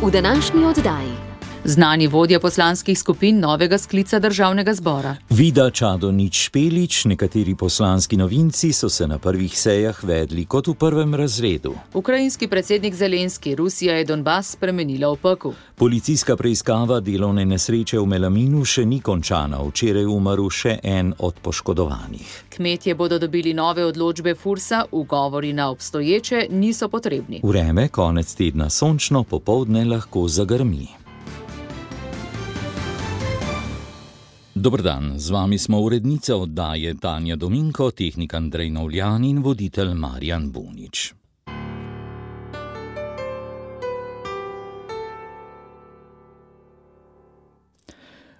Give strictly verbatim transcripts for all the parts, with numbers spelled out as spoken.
v današnji oddaji. Znani vodja poslanskih skupin novega sklica državnega zbora. Vida Čadonič Špelič, nekateri poslanski novinci so se na prvih sejah vedli kot v prvem razredu. Ukrajinski predsednik Zelenski, Rusija je Donbas spremenila v pekel. Policijska preiskava delovne nesreče v Melaminu še ni končana, včeraj umrl še en od poškodovanih. Kmetje bodo dobili nove odločbe Fursa, ugovori na obstoječe niso potrebni. Vreme konec tedna sončno, popoldne lahko zagrmi. Dober dan, z vami smo urednica oddaje Tanja Dominko, tehnik Andrej Novljan in voditelj Marjan Bunič.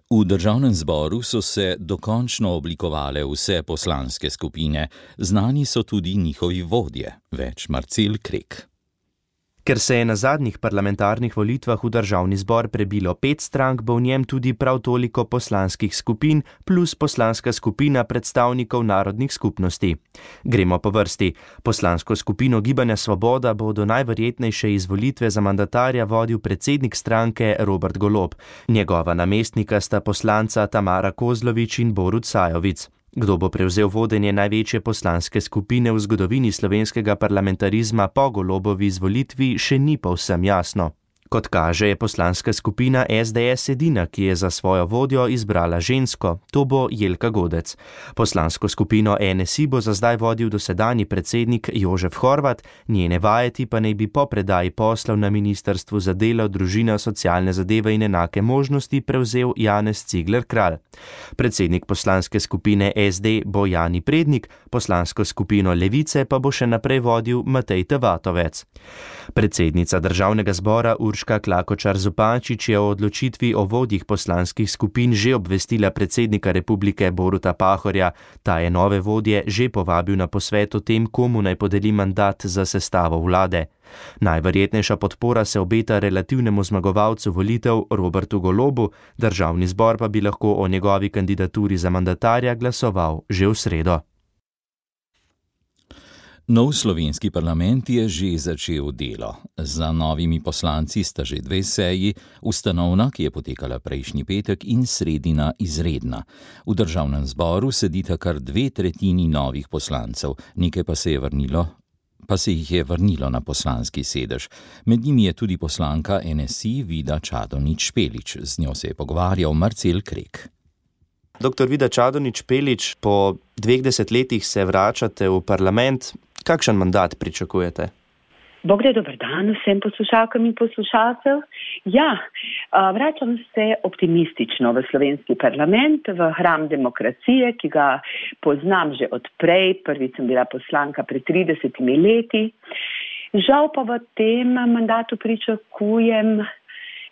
V državnem zboru so se dokončno oblikovale vse poslanske skupine, znani so tudi njihovi vodje, več Marcel Krek. Ker se je na zadnjih parlamentarnih volitvah v državni zbor prebilo pet strank, bo v njem tudi prav toliko poslanskih skupin plus poslanska skupina predstavnikov narodnih skupnosti. Gremo po vrsti. Poslansko skupino Gibanja Svoboda bo do najverjetnejše izvolitve za mandatarja vodil predsednik stranke Robert Golob. Njegova namestnika sta poslanca Tamara Kozlovič in Borut Sajovic. Kdo bo prevzel vodenje največje poslanske skupine v zgodovini slovenskega parlamentarizma po Golobovi izvolitvi, še ni povsem jasno. Kot kaže, je poslanska skupina es de es edina, ki je za svojo vodjo izbrala žensko, to bo Jelka Godec. Poslansko skupino en es i bo za zdaj vodil dosedanji predsednik Jožef Horvat, njene vajeti pa naj bi po predaji poslov na Ministrstvu za delo, družino, socialne zadeve in enake možnosti prevzel Janez Cigler Kralj. Predsednik poslanske skupine es de bo Jani Prednik, poslansko skupino Levice pa bo še naprej vodil Matej Tavatovec. Predsednica državnega zbora Urška Klakočar Zupančič je o odločitvi o vodjih poslanskih skupin že obvestila predsednika republike Boruta Pahorja. Ta je nove vodje že povabil na posvet o tem, komu naj podeli mandat za sestavo vlade. Najverjetnejša podpora se obeta relativnemu zmagovalcu volitev Robertu Golobu, državni zbor pa bi lahko o njegovi kandidaturi za mandatarja glasoval že v sredo. Nov slovenski parlament je že začel delo. Za novimi poslanci sta že dve seji, ustanovna, ki je potekala prejšnji petek, in sredina izredna. V državnem zboru sedita kar dve tretjini novih poslancev, nekaj pa se je vrnilo, pa se jih je vrnilo na poslanski sedež. Med njimi je tudi poslanka en es i Vida Čadonič Špelič. Z njo se je pogovarjal Marcel Krek. Doktor Vida Čadonič Špelič, po dveh desetletjih se vračate v parlament. Kakšen mandat pričakujete? Bog da, dober dan vsem poslušalkam in poslušalcev. Ja, vračam se optimistično v slovenski parlament, v hram demokracije, ki ga poznam že odprej. Prvič sem bila poslanka pred tridesetimi leti. Žal pa v tem mandatu pričakujem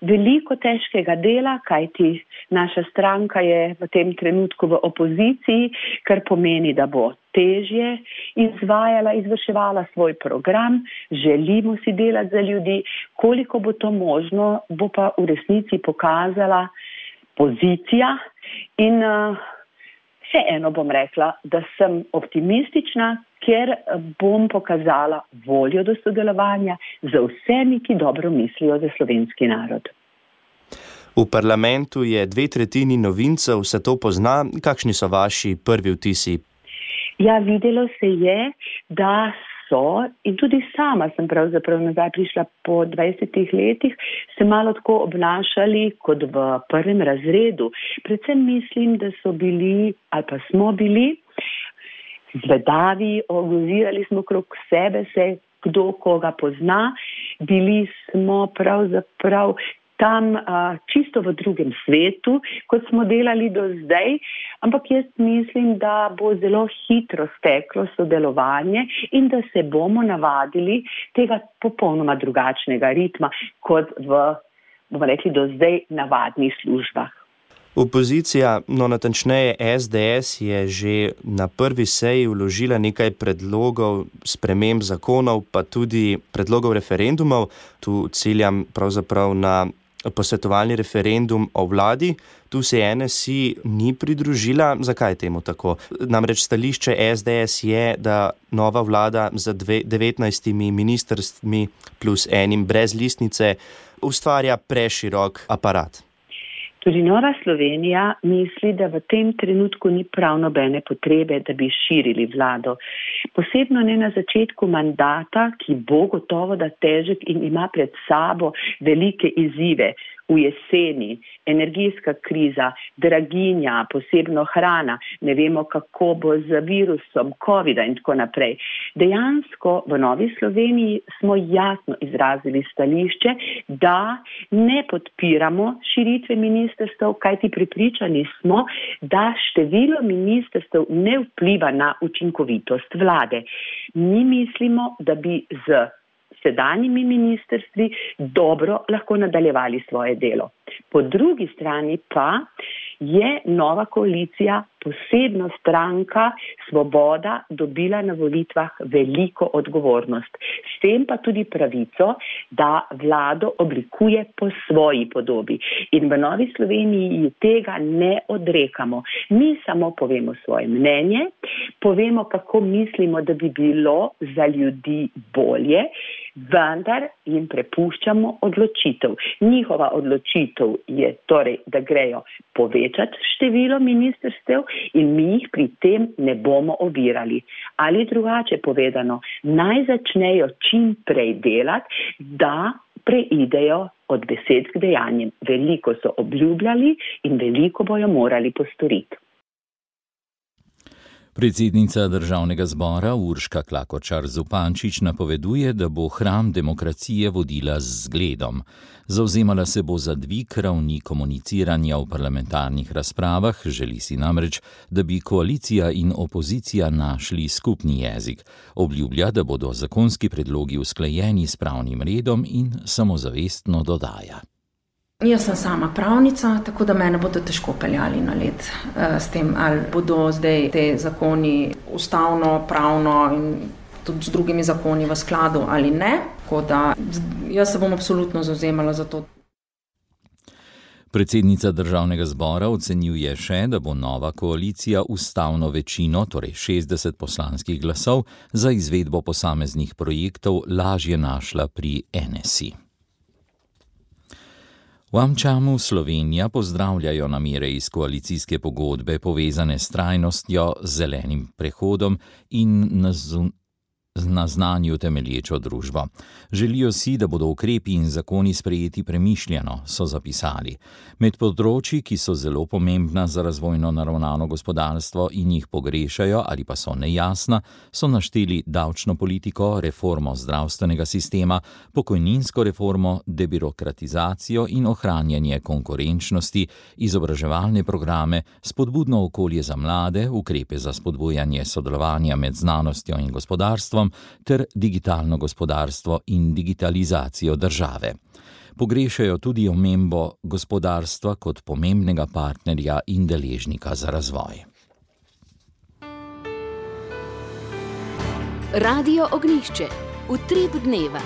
veliko težkega dela, kajti naša stranka je v tem trenutku v opoziciji, kar pomeni, da bo težje izvajala, izvrševala svoj program. Želimo si delati za ljudi, koliko bo to možno, bo pa v resnici pokazala pozicija in uh, še eno bom rekla, da sem optimistična, ker bom pokazala voljo do sodelovanja z vsemi, ki dobro mislijo za slovenski narod. V parlamentu je dve tretjini novincev, se to pozna. Kakšni so vaši prvi vtisi? Ja, videlo se je, da so, in tudi sama sem pravzaprav nazaj prišla po dvajsetih letih, se malo tako obnašali kot v prvem razredu. Predvsem mislim, da so bili, ali pa smo bili, zvedavi, ogozirali smo krog sebe, se kdo koga pozna, bili smo pravzaprav tam a, čisto v drugem svetu, kot smo delali do zdaj, ampak jaz mislim, da bo zelo hitro steklo sodelovanje in da se bomo navadili tega popolnoma drugačnega ritma, kot v, bomo rekli, do zdaj navadnih službah. Opozicija, no natančneje es de es, je že na prvi seji vložila nekaj predlogov sprememb zakonov, pa tudi predlogov referendumov. Tu ciljam pravzaprav na posvetovalni referendum o vladi. Tu se N S I ni pridružila. Zakaj je temu tako? Namreč stališče S D S je, da nova vlada z devetnajstimi ministrstvi plus enim brez listnice ustvarja preširok aparat. Tudi Nova Slovenija misli, da v tem trenutku ni prav nobene potrebe, da bi širili vlado. Posebno ne na začetku mandata, ki bo gotovo da težek in ima pred sabo velike izzive. V jeseni, energijska kriza, draginja, posebno hrana, ne vemo, kako bo z virusom covida in tako naprej. Dejansko v Novi Sloveniji smo jasno izrazili stališče, da ne podpiramo širitve ministrstev, kajti prepričani smo, da število ministrstev ne vpliva na učinkovitost vlade. Mi mislimo, da bi z sedanjimi ministrstvi dobro lahko nadaljevali svoje delo. Po drugi strani pa je nova koalicija, posebno stranka Svoboda, dobila na volitvah veliko odgovornost. S tem pa tudi pravico, da vlado oblikuje po svoji podobi. In v Novi Sloveniji tega ne odrekamo. Mi samo povemo svoje mnenje, povemo, kako mislimo, da bi bilo za ljudi bolje, vendar jim prepuščamo odločitev. Njihova odločitev je torej, da grejo povečati število ministrstev in mi jih pri tem ne bomo ovirali. Ali drugače povedano, naj začnejo čim prej delati, da preidejo od besed k dejanjem. Veliko so obljubljali in veliko bojo morali postoriti. Predsednica Državnega zbora Urška Klakočar Zupančič napoveduje, da bo hram demokracije vodila z zgledom. Zavzemala se bo za dvig ravni komuniciranja v parlamentarnih razpravah, želi si namreč, da bi koalicija in opozicija našli skupni jezik. Obljublja, da bodo zakonski predlogi usklajeni s pravnim redom in samozavestno dodaja. Jaz sem sama pravnica, tako da mene bodo težko peljali na led s tem, ali bodo zdaj te zakoni ustavno, pravno in tudi z drugimi zakoni v skladu ali ne. Tako da jaz se bom absolutno zavzemala za to. Predsednica Državnega zbora ocenjuje še, da bo nova koalicija ustavno večino, torej šestdeset poslanskih glasov, za izvedbo posameznih projektov lažje našla pri N S I. V Amčamu Slovenija pozdravljajo namere iz koalicijske pogodbe povezane s trajnostjo, zelenim prehodom in na znanju temelječo družbo. Želijo si, da bodo ukrepi in zakoni sprejeti premišljeno, so zapisali. Med področji, ki so zelo pomembna za razvojno naravnano gospodarstvo in jih pogrešajo ali pa so nejasna, so našteli davčno politiko, reformo zdravstvenega sistema, pokojninsko reformo, debirokratizacijo in ohranjanje konkurenčnosti, izobraževalne programe, spodbudno okolje za mlade, ukrepe za spodbujanje sodelovanja med znanostjo in gospodarstvom ter digitalno gospodarstvo in digitalizacijo države. Pogrešajo tudi omembo gospodarstva kot pomembnega partnerja in deležnika za razvoj. Radio Ognjišče. Utrip dneva.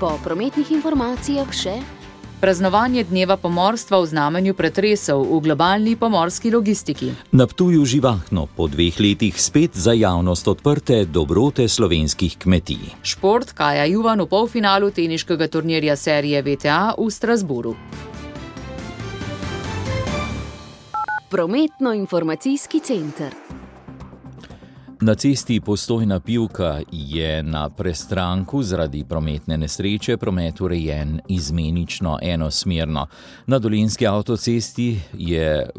Po prometnih informacijah še praznovanje dneva pomorstva v znamenju pretresov v globalni pomorski logistiki. Na Ptuju živahno, po dveh letih spet za javnost odprte dobrote slovenskih kmetij. Šport Kaja Juvan v polfinalu teniškega turnirja serije V T A v Strasbourgu. Prometno-informacijski center. Na cesti Postojna Pivka je na prestranku zaradi prometne nesreče promet urejen izmenično enosmerno. Na Dolenjski avtocesti je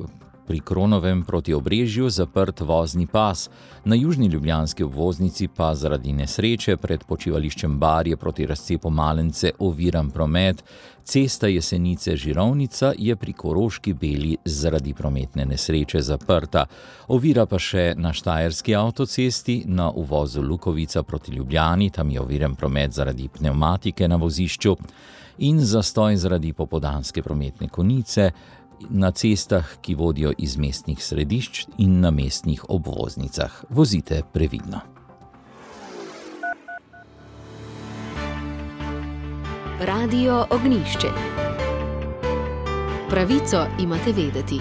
pri Kronovem proti Obrežju zaprt vozni pas. Na južni ljubljanski obvoznici pa zaradi nesreče pred počivališčem Barje proti razcepu Malence oviran promet. Cesta Jesenice-Žirovnica je pri Koroški Beli zaradi prometne nesreče zaprta. Ovira pa še na Štajerski avtocesti na uvozu Lukovica proti Ljubljani, tam je oviran promet zaradi pnevmatike na vozišču in zastoj zaradi popoldanske prometne konice na cestah, ki vodijo iz mestnih središč in na mestnih obvoznicah. Vozite previdno. Radio Ognjišče. pravico imate vedeti.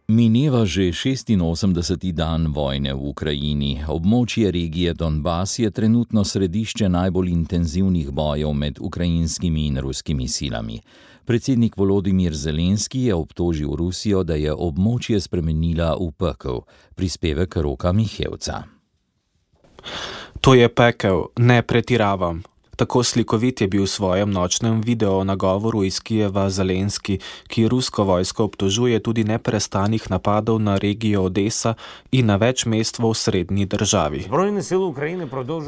Mineva že šestinosemdeseti dan vojne v Ukrajini. Območje regije Donbas je trenutno središče najbolj intenzivnih bojev med ukrajinskimi in ruskimi silami. Predsednik Volodimir Zelenski je obtožil Rusijo, da je območje spremenila v pekel. Prispevek Roka Mihevca. To je pekel, ne pretiravam. Tako slikovit je bil v svojem nočnem video nagovoru iz Kijeva Zelenski, ki rusko vojsko obtožuje tudi neprestanih napadov na regijo Odesa in na več mest v osrednji državi.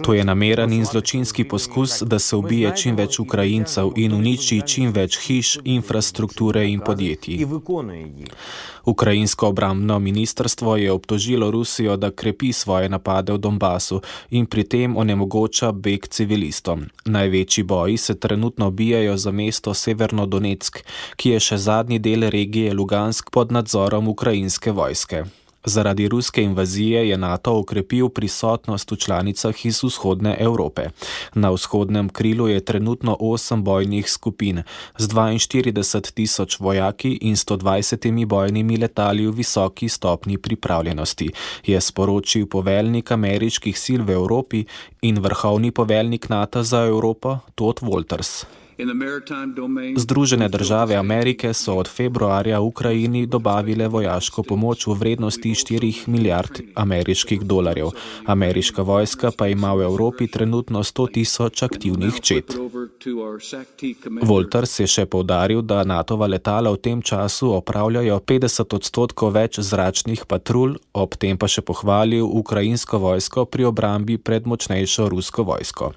To je nameren in zločinski poskus, da se ubije čim več Ukrajincev in uniči čim več hiš, infrastrukture in podjetij. Ukrajinsko obrambno ministrstvo je obtožilo Rusijo, da krepi svoje napade v Donbasu in pri tem onemogoča beg civilistom. Največji boji se trenutno bijajo za mesto Severnodonetsk, ki je še zadnji del regije Lugansk pod nadzorom ukrajinske vojske. Zaradi ruske invazije je NATO okrepil prisotnost v članicah iz vzhodne Evrope. Na vzhodnem krilu je trenutno osem bojnih skupin z dvainštirideset tisoč vojaki in sto dvajsetimi bojnimi letali v visoki stopnji pripravljenosti, je sporočil poveljnik ameriških sil v Evropi in vrhovni poveljnik NATO za Evropo Todd Walters. Združene države Amerike so od februarja Ukrajini dobavile vojaško pomoč v vrednosti štirih milijard ameriških dolarjev. Ameriška vojska pa ima v Evropi trenutno sto tisoč aktivnih čet. Walters je še poudaril, da NATOva letala v tem času opravljajo petdeset odstotkov več zračnih patrulj, ob tem pa še pohvalil ukrajinsko vojsko pri obrambi pred močnejšo rusko vojsko.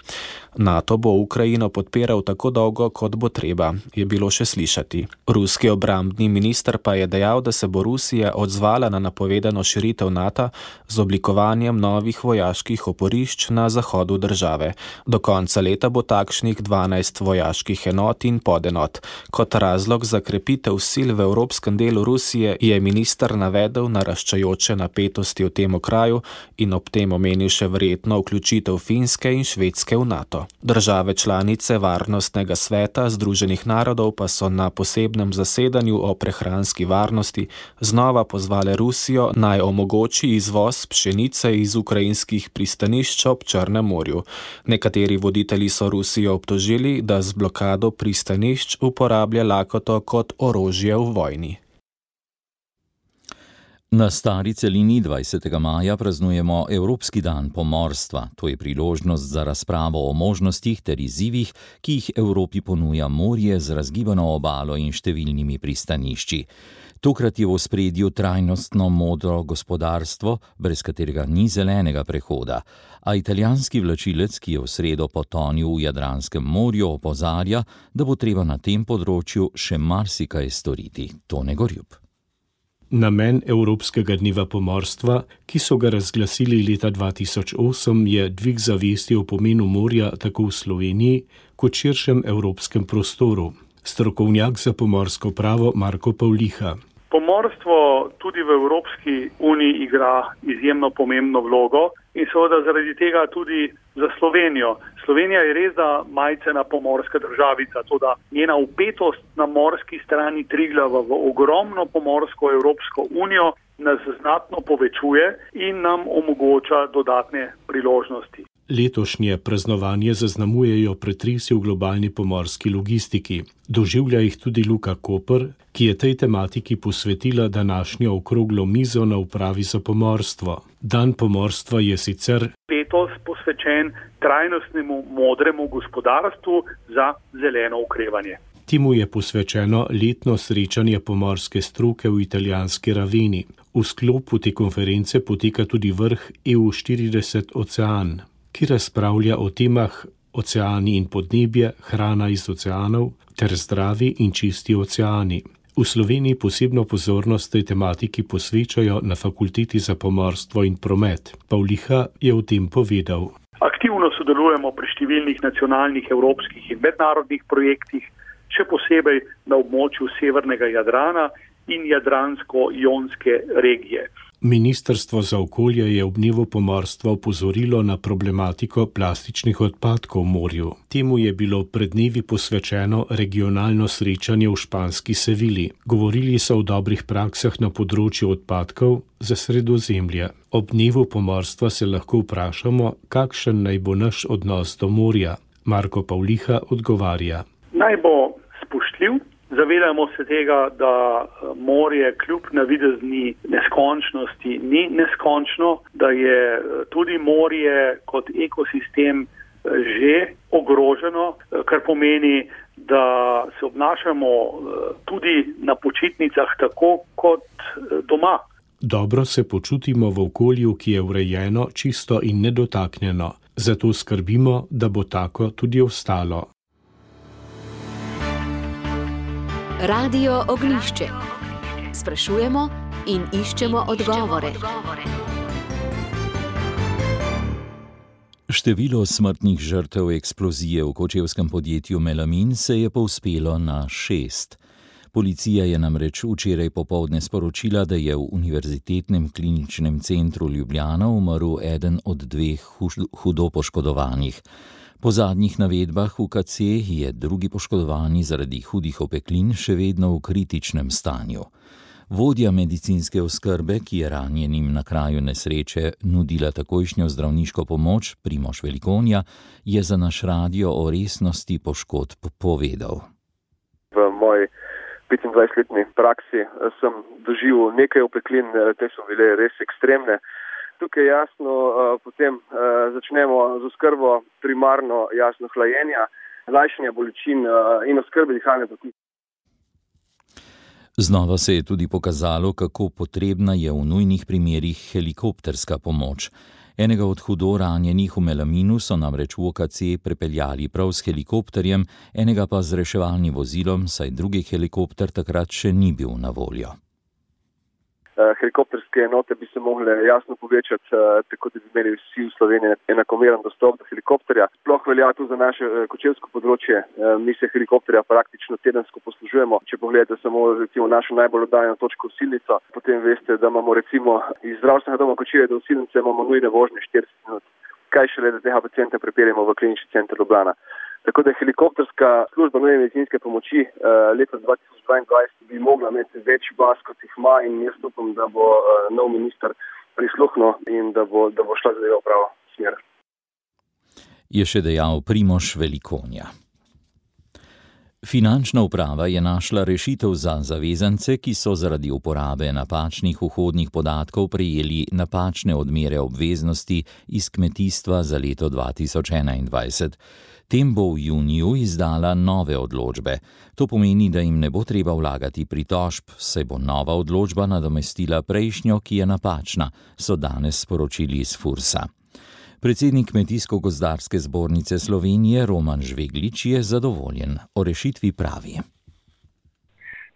NATO bo Ukrajino podpiral tako dolgo, kot bo treba, je bilo še slišati. Ruski obrambni minister pa je dejal, da se bo Rusija odzvala na napovedano širitev NATO z oblikovanjem novih vojaških oporišč na zahodu države. Do konca leta bo takšnih dvanajst vojaških enot in podenot. Kot razlog za krepitev sil v evropskem delu Rusije je minister navedel naraščajoče napetosti v tem okraju in ob tem omenil še verjetno vključitev Finske in Švedske v NATO. Države članice Varnostnega sveta Združenih narodov pa so na posebnem zasedanju o prehranski varnosti znova pozvale Rusijo naj omogoči izvoz pšenice iz ukrajinskih pristanišč ob Črnem morju. Nekateri voditelji so Rusijo obtožili, da z blokado pristanišč uporablja lakoto kot orožje v vojni. Na stari celini dvajsetega maja praznujemo Evropski dan pomorstva. To je priložnost za razpravo o možnostih ter izzivih, ki jih Evropi ponuja morje z razgibano obalo in številnimi pristanišči. Tokrat je v ospredju trajnostno modro gospodarstvo, brez katerega ni zelenega prehoda, a italijanski vlačilec, ki je v sredo potonil v Jadranskem morju, opozarja, da bo treba na tem področju še marsikaj storiti. Tone Gorjup. Namen Evropskega dneva pomorstva, ki so ga razglasili leta dva tisoč osem, je dvig zavesti o pomenu morja tako v Sloveniji kot širšem evropskem prostoru. Strokovnjak za pomorsko pravo Marko Pavliha. Pomorstvo tudi v Evropski uniji igra izjemno pomembno vlogo in seveda zaradi tega tudi za Slovenijo. Slovenija je res da majcena pomorska državica, toda njena vpetost na morski strani Triglava v ogromno pomorsko Evropsko unijo nas znatno povečuje in nam omogoča dodatne priložnosti. Letošnje praznovanje zaznamujejo pretresi v globalni pomorski logistiki. Doživlja jih tudi Luka Koper, ki je tej tematiki posvetila današnjo okroglo mizo na upravi za pomorstvo. Dan pomorstva je sicer letos posvečen trajnostnemu modremu gospodarstvu za zeleno okrevanje. Temu je posvečeno letno srečanje pomorske stroke v italijanski Raveni. V sklopu te konference poteka tudi vrh E U štirideset Ocean, ki razpravlja o temah oceani in podnebje, hrana iz oceanov ter zdravi in čisti oceani. V Sloveniji posebno pozornost tej tematiki posvečajo na Fakulteti za pomorstvo in promet. Pavliha je o tem povedal. Aktivno sodelujemo pri številnih nacionalnih, evropskih in mednarodnih projektih, še posebej na območju severnega Jadrana in jadransko-jonske regije. Ministrstvo za okolje je ob dnevu pomorstva opozorilo na problematiko plastičnih odpadkov v morju. Temu je bilo pred dnevi posvečeno regionalno srečanje v španski Sevili. Govorili so o dobrih praksah na področju odpadkov za Sredozemlje. Ob dnevu pomorstva se lahko vprašamo, kakšen naj bo naš odnos do morja. Marko Pavliha odgovarja. Naj bo spoštljiv. Zavedamo se tega, da morje kljub navidezni neskončnosti ni neskončno, da je tudi morje kot ekosistem že ogroženo, kar pomeni, da se obnašamo tudi na počitnicah tako kot doma. Dobro se počutimo v okolju, ki je urejeno, čisto in nedotaknjeno. Zato skrbimo, da bo tako tudi ostalo. Radio Ognjišče. Sprašujemo in iščemo odgovore. Število smrtnih žrtev eksplozije v kočevskem podjetju Melamin se je povzpelo na šest. Policija je namreč včeraj popoldne sporočila, da je v Univerzitetnem kliničnem centru Ljubljana umrl eden od dveh hudo poškodovanih. Po zadnjih navedbah V K C je drugi poškodovani zaradi hudih opeklin še vedno v kritičnem stanju. Vodja medicinske oskrbe, ki je ranjenim na kraju nesreče nudila takojšnjo zdravniško pomoč, Primož Velikonja, je za naš radio o resnosti poškodb povedal. V moji petindvajsetletni praksi sem doživel nekaj opeklin, te so bile res ekstremne. Tukaj jasno potem začnemo z oskrbo primarno jasno hlajenja, lajšanja bolečin in oskrbe dihalne poti. Znova se je tudi pokazalo, kako potrebna je v nujnih primerih helikopterska pomoč. Enega od hudo ranjenih v Melaminu so namreč v O K C prepeljali prav s helikopterjem, enega pa z reševalnim vozilom, saj drugi helikopter takrat še ni bil na voljo. Helikopterske enote bi se mogle jasno povečati, tako da bi imeli vsi v Sloveniji enakomeren dostop do helikopterja. Sploh velja tu za naše kočevsko področje. Mi se helikopterja praktično tedensko poslužujemo. Če pogledate samo recimo našo najbolj oddaljeno točko Osilnico, potem veste, da imamo recimo iz zdravstvenega doma Kočevje do Osilnice imamo nujne vožnje štirideset minut. Kaj šele, da tega pacienta prepeljemo v klinični center Ljubljana. Tako da helikopterska služba nujne medicinske pomoči eh, leta dva tisoč dvaindvajset bi mogla imeti več baz, kot jih ima, in jaz upam, da bo eh, nov minister prisluhnil in da bo, da bo šla zadeva v pravo smer. Je še dejal Primož Velikonja. Finančna uprava je našla rešitev za zavezance, ki so zaradi uporabe napačnih vhodnih podatkov prejeli napačne odmere obveznosti iz kmetijstva za leto dva tisoč enaindvajset. Tem bo v juniju izdala nove odločbe. To pomeni, da jim ne bo treba vlagati pritožb, saj bo nova odločba nadomestila prejšnjo, ki je napačna, so danes sporočili iz Fursa. Predsednik Kmetijsko-gozdarske zbornice Slovenije Roman Žveglič je zadovoljen. O rešitvi pravi.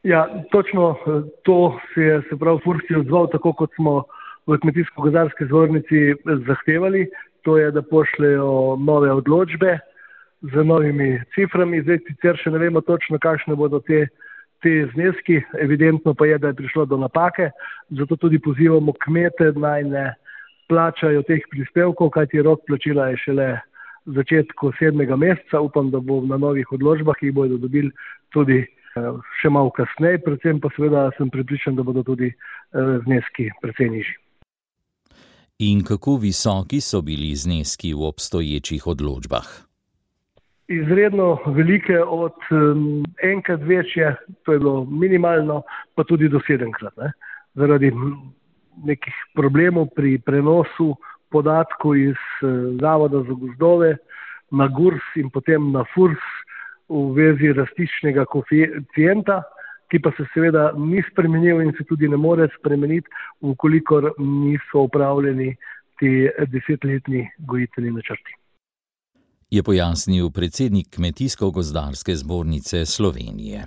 Ja, točno to se je se prav Furs je odzval, tako kot smo v Kmetijsko-gozdarski zbornici zahtevali. To je, da pošljejo nove odločbe z novimi ciframi. Zdaj sicer še ne vemo točno, kakšne bodo te, te zneski. Evidentno pa je, da je prišlo do napake. Zato tudi pozivamo kmete, naj ne plačajo teh prispevkov, kajti rok plačila je šele v začetku sedmega meseca. Upam, da bo na novih odločbah, ki jih bodo dobili tudi še malo kasneje. Predvsem pa seveda sem prepričan, da bodo tudi zneski precej nižji. In kako visoki so bili zneski v obstoječih odločbah? Izredno velike, od um, enkrat večje, to je bilo minimalno, pa tudi do sedemkrat. Ne? Zaradi nekih problemov pri prenosu podatkov iz uh, Zavoda za gozdove na GURS in potem na FURS v vezi rastičnega koeficienta, ki pa se seveda ni spremenil in se tudi ne more spremeniti, ukolikor niso upravljeni ti desetletni gojitveni načrti. Je pojasnil predsednik Kmetijsko-gozdarske zbornice Slovenije.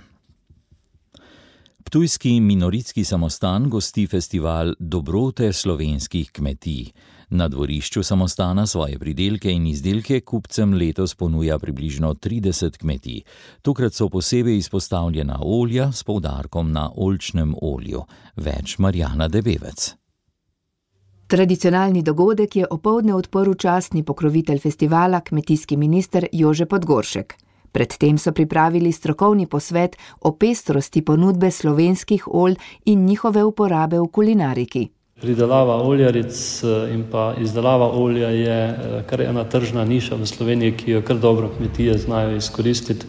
Ptujski minoritski samostan gosti festival Dobrote slovenskih kmetij. Na dvorišču samostana svoje pridelke in izdelke kupcem letos ponuja približno trideset kmetij. Tokrat so posebej izpostavljena olja s poudarkom na oljčnem olju. Več Marjana Debevec. Tradicionalni dogodek je opoldne odprl častni pokrovitelj festivala, kmetijski minister Jože Podgoršek. Predtem so pripravili strokovni posvet o pestrosti ponudbe slovenskih olj in njihove uporabe v kulinariki. Pridelava oljaric in pa izdelava olja je kar ena tržna niša v Sloveniji, ki jo kar dobro kmetije znajo izkoristiti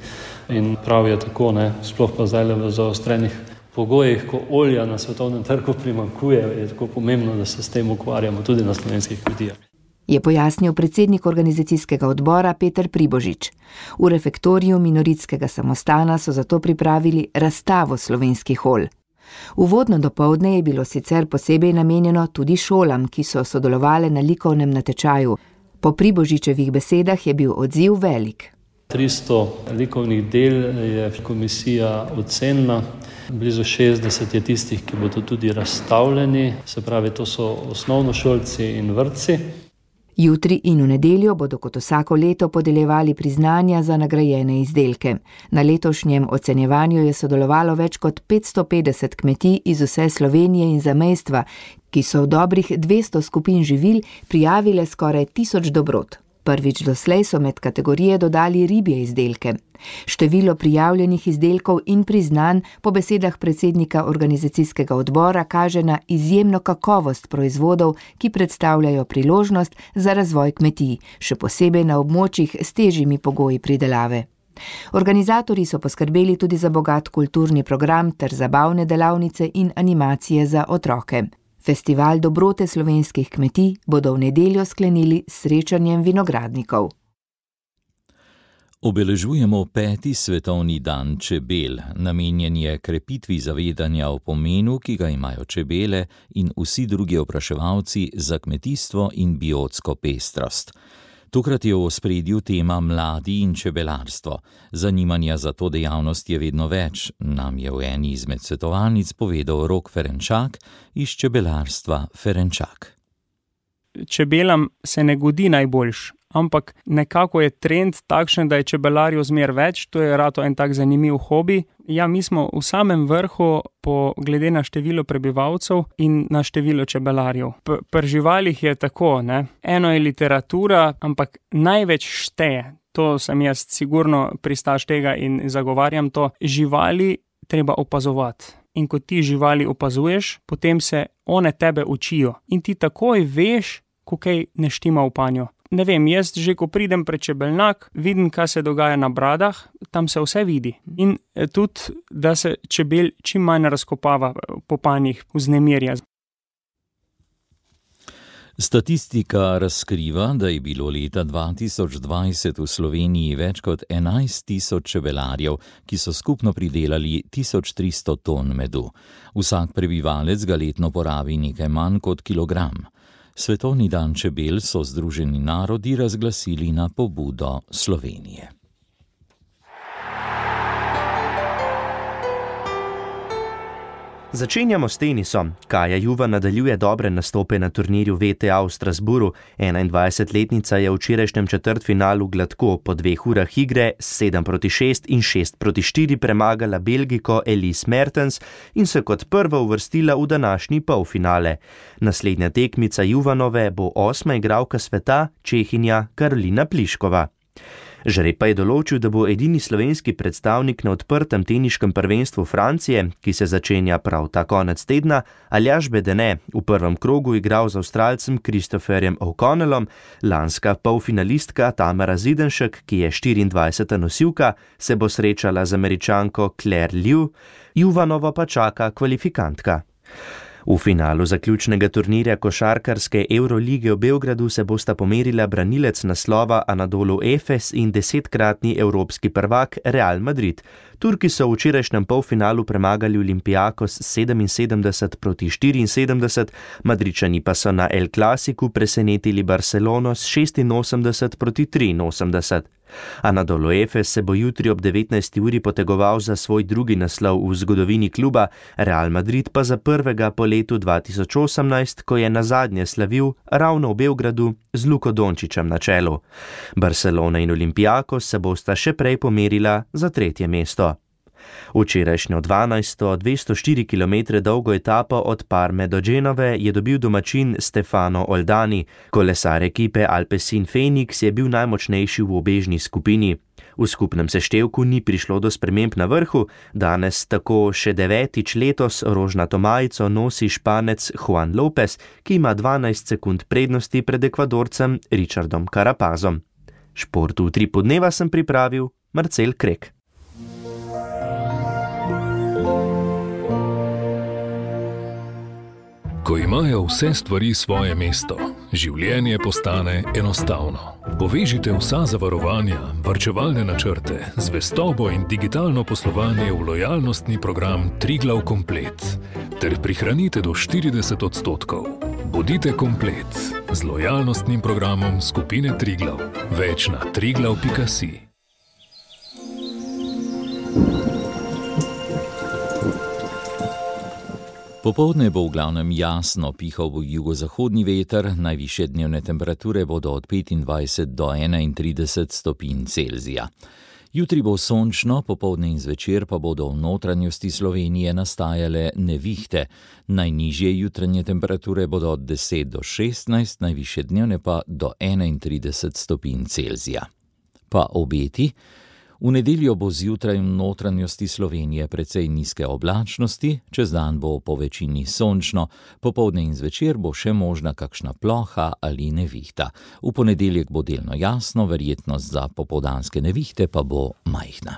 in prav je tako, ne, sploh pa zdaj v zaostrenih pogojih, ko olja na svetovnem trgu primanjkuje, je tako pomembno, da se s tem ukvarjamo tudi na slovenskih kmetijah. Je pojasnil predsednik organizacijskega odbora Peter Pribožič. V refektoriju Minoritskega samostana so zato pripravili razstavo slovenskih olj. Uvodno dopoldne je bilo sicer posebej namenjeno tudi šolam, ki so sodelovale na likovnem natečaju. Po Pribožičevih besedah je bil odziv velik. tristo likovnih del je komisija ocenila, blizu šestdeset je tistih, ki bodo tudi razstavljeni, se pravi, to so osnovnošolci in vrtci. Jutri in v nedeljo bodo kot vsako leto podeljevali priznanja za nagrajene izdelke. Na letošnjem ocenjevanju je sodelovalo več kot petsto petdeset kmetij iz vse Slovenije in zamejstva, ki so v dobrih dvesto skupin živil prijavile skoraj tisoč dobrot. Prvič doslej so med kategorije dodali ribje izdelke. Število prijavljenih izdelkov in priznanj po besedah predsednika organizacijskega odbora kaže na izjemno kakovost proizvodov, ki predstavljajo priložnost za razvoj kmetij, še posebej na območjih s težjimi pogoji pridelave. Organizatorji so poskrbeli tudi za bogat kulturni program ter zabavne delavnice in animacije za otroke. Festival dobrote slovenskih kmetij bodo v nedeljo sklenili s srečanjem vinogradnikov. Obeležujemo peti svetovni dan čebel, namenjen je krepitvi zavedanja o pomenu, ki ga imajo čebele in vsi drugi opraševalci za kmetijstvo in biotsko pestrost. Tokrat je v ospredju tema mladi in čebelarstvo. Zanimanja za to dejavnost je vedno več, nam je v eni izmed svetovalnic povedal Rok Ferenčak iz čebelarstva Ferenčak. Čebelam se ne godi najboljš, ampak nekako je trend takšen, da je čebelarjev zmer več, to je rato en tak zanimiv hobi. Ja, mi smo v samem vrhu po glede na število prebivalcev in na število čebelarjev. P- pri živalih je tako, ne? Eno je literatura, ampak največ šteje, to sem jaz sigurno pristaš tega in zagovarjam to, živali treba opazovati. In ko ti živali opazuješ, potem se one tebe učijo in ti takoj veš, ko kaj ne štima v panju. Ne vem, jaz že ko pridem pred čebelnjak, vidim, kaj se dogaja na bradah, tam se vse vidi. In tudi, da se čebel čim manj razkopava po panjih, vznemirja. Statistika razkriva, da je bilo leta dva tisoč dvajset v Sloveniji več kot enajst tisoč čebelarjev, ki so skupno pridelali tisoč tristo ton medu. Vsak prebivalec ga letno porabi nekaj manj kot kilogram. Svetovni dan čebel so Združeni narodi razglasili na pobudo Slovenije. Začenjamo s tenisom. Kaja Juvan nadaljuje dobre nastope na turnirju V T A v Strasburu. enaindvajsetletnica je v včerajšnjem četrtfinalu gladko po dveh urah igre sedem proti šest in šest proti štiri premagala Belgijko Elise Mertens in se kot prva uvrstila v današnji polfinale. Naslednja tekmica Juvanove bo osma igralka sveta, Čehinja Karolina Pliškova. Žreb pa je določil, da bo edini slovenski predstavnik na odprtem teniškem prvenstvu Francije, ki se začenja prav ta konec tedna, Aljaž Bedene, v prvem krogu igral z Avstralcem Christopherjem O'Connellom, lanska polfinalistka Tamara Zidenšek, ki je štiriindvajseta nosilka, se bo srečala z Američanko Claire Liu, Juvanovo pa čaka kvalifikantka. V finalu zaključnega turnirja košarkarske Eurolige v Beogradu se bosta pomerila branilec naslova Anadolu Efes in desetkratni evropski prvak Real Madrid. Turki so v včerajšnjem polfinalu premagali Olympiakos sedeminsedemdeset proti štiriinsedemdeset, Madridčani pa so na El Clasicu presenetili Barcelono s šestinosemdeset proti triinosemdeset. Anadolu Efes se bo jutri ob devetnajsti uri potegoval za svoj drugi naslov v zgodovini kluba, Real Madrid pa za prvega po letu dva tisoč osemnajst, ko je nazadnje slavil ravno v Beogradu z Luko Dončićem na čelu. Barcelona in Olympiakos se bosta še prej pomerila za tretje mesto. Včerajšnjo dvanajsto, dvesto štiri kilometre dolgo etapo od Parme do Genove je dobil domačin Stefano Oldani. Kolesar ekipe Alpecin Phoenix je bil najmočnejši v obežni skupini. V skupnem seštevku ni prišlo do sprememb na vrhu, danes tako še devetič letos rožnato majico nosi Španec Juan Lopez, ki ima dvanajst sekund prednosti pred Ekvadorcem Richardom Carapazom. Šport v Utripu dneva sem pripravil Marcel Krek. Ko imajo vse stvari svoje mesto, življenje postane enostavno. Povežite vsa zavarovanja, varčevalne načrte, zvestobo in digitalno poslovanje v lojalnostni program Triglav Komplet ter prihranite do štirideset odstotkov. Bodite komplet z lojalnostnim programom skupine Triglav. Več na triglav pika si. Popoldne bo v glavnem jasno, pihal bo jugozahodni veter, najvišje dnevne temperature bodo od petindvajset do enaintrideset stopinj Celzija. Jutri bo sončno, popoldne in zvečer pa bodo v notranjosti Slovenije nastajale nevihte. Najnižje jutranje temperature bodo od deset do šestnajst, najvišje dnevne pa do enaintrideset stopinj Celzija. Pa obeti? V nedeljo bo zjutraj v notranjosti Slovenije precej nizke oblačnosti, čez dan bo po večini sončno, popoldne in zvečer bo še možna kakšna ploha ali nevihta. V ponedeljek bo delno jasno, verjetnost za popoldanske nevihte pa bo majhna.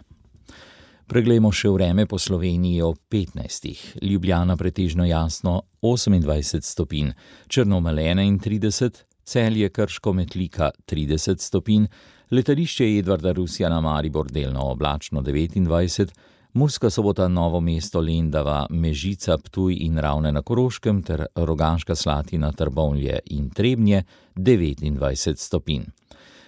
Preglejmo še vreme po Sloveniji ob petnajstih. Ljubljana pretežno jasno osemindvajset stopinj, Črnomelj enaintrideset, Celje, Krško, Metlika trideset stopinj, letališče Edvarda Rusjana Maribor delno oblačno devetindvajset, Murska Sobota, Novo mesto, Lendava, Mežica, Ptuj in Ravne na Koroškem ter Rogaška Slatina, Trbovlje in Trebnje devetindvajset stopinj.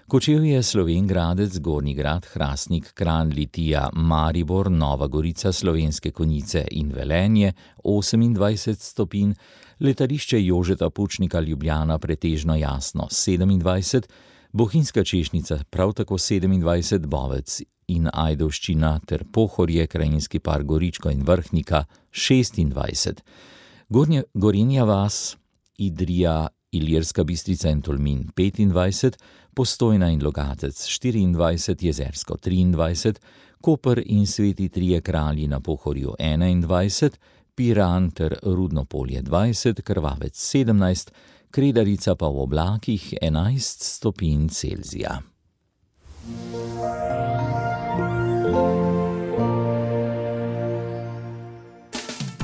Kočevje, Slovenj Gradec, Gornji Grad, Hrastnik, Kranj, Litija, Maribor, Nova Gorica, Slovenske Konjice in Velenje osemindvajset stopinj, letališče Jožeta Pučnika Ljubljana pretežno jasno sedemindvajset, Bohinjska Češnica prav tako sedemindvajset, Bovec in Ajdovščina ter Pohorje, Krajinski park Goričko in Vrhnika šestindvajset, Gornja, Gorenja vas, Idrija, Ilirska Bistrica in Tolmin petindvajset, Postojna in Logatec štiriindvajset, Jezersko triindvajset, Koper in Sveti Trije Kralji na Pohorju enaindvajset, Piran ter Rudno Polje dvajset, Krvavec sedemnajst, Kredarica pa v oblakih enajst stopinj Celzija.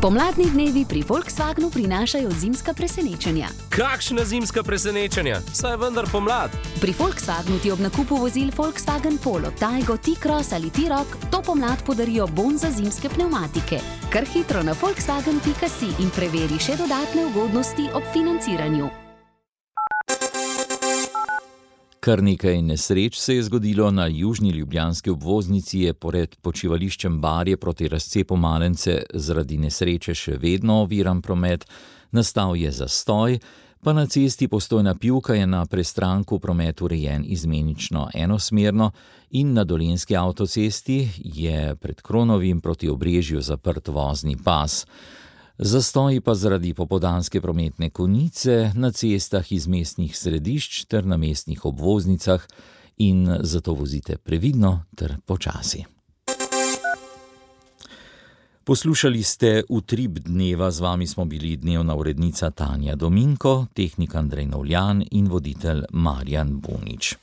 Pomladni dnevi pri Volkswagenu prinašajo zimska presenečenja. Kakšna zimska presenečenja? Saj vendar pomlad. Pri Volkswagenu ti ob nakupu vozil Volkswagen Polo, Taigo, T-Cross ali T-Roc to pomlad podarijo bon za zimske pnevmatike. Kar hitro na volkswagen pika si in preveri še dodatne ugodnosti ob financiranju. Kar nekaj nesreč se je zgodilo na južni ljubljanski obvoznici, je pored počivališčem Barje proti razcepu Malence zaradi nesreče še vedno oviran promet, nastal je zastoj, pa na cesti Postojna Pivka je na prestranku promet urejen izmenično enosmerno in na Dolenjski avtocesti je pred Kronovim proti Obrežju zaprt vozni pas. Zastoji pa zaradi popoldanske prometne konice na cestah iz mestnih središč ter na mestnih obvoznicah in zato vozite previdno ter počasi. Poslušali ste Utrip dneva, z vami smo bili dnevna urednica Tanja Dominko, tehnik Andrej Novljan in voditelj Marjan Bunič.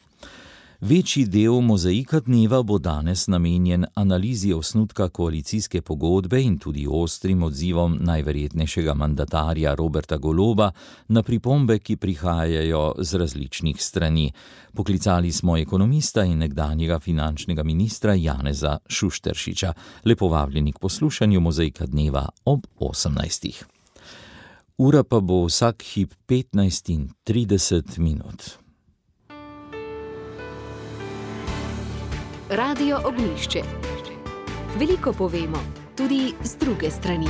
Večji del mozaika dneva bo danes namenjen analizi osnutka koalicijske pogodbe in tudi ostrim odzivom najverjetnejšega mandatarja Roberta Goloba na pripombe, ki prihajajo z različnih strani. Poklicali smo ekonomista in nekdanjega finančnega ministra Janeza Šušteršiča. Lepo vabljeni k poslušanju mozaika dneva ob osemnajstih. Ura pa bo vsak hip petnajst in trideset minut. Radio Ognjišče. Veliko povemo, tudi z druge strani.